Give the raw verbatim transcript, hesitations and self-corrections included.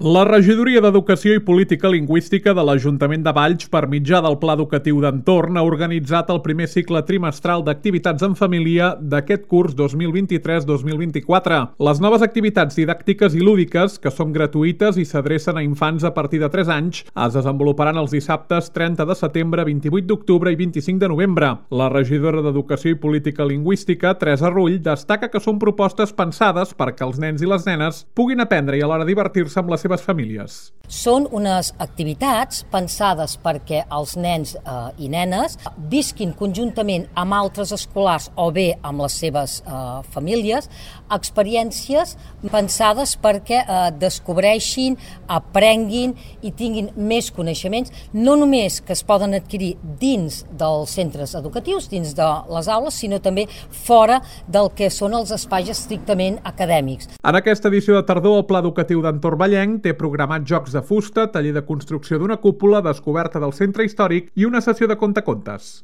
La Regidoria d'Educació i Política Lingüística de l'Ajuntament de Valls, per mitjà del Pla Educatiu d'Entorn, ha organitzat el primer cicle trimestral d'activitats en família d'aquest curs dos mil vint-i-tres dos mil vint-i-quatre. Les noves activitats didàctiques i lúdiques, que són gratuïtes i s'adrecen a infants a partir de tres anys, es desenvoluparan els dissabtes trenta de setembre, vint-i-vuit d'octubre i vint-i-cinc de novembre. La regidora d'Educació i Política Lingüística, Teresa Rull, destaca que són propostes pensades perquè els nens i les nenes puguin aprendre i alhora divertir-se amb les seves famílies. Són unes activitats pensades perquè els nens eh, i nenes visquin conjuntament amb altres escolars o bé amb les seves eh, famílies experiències pensades perquè eh, descobreixin, aprenguin i tinguin més coneixements, no només que es poden adquirir dins dels centres educatius, dins de les aules, sinó també fora del que són els espais estrictament acadèmics. En aquesta edició de tardor, el Pla Educatiu d'Entorn Vallenc té programat jocs de fusta, taller de construcció d'una cúpula, descoberta del centre històric i una sessió de contacontes.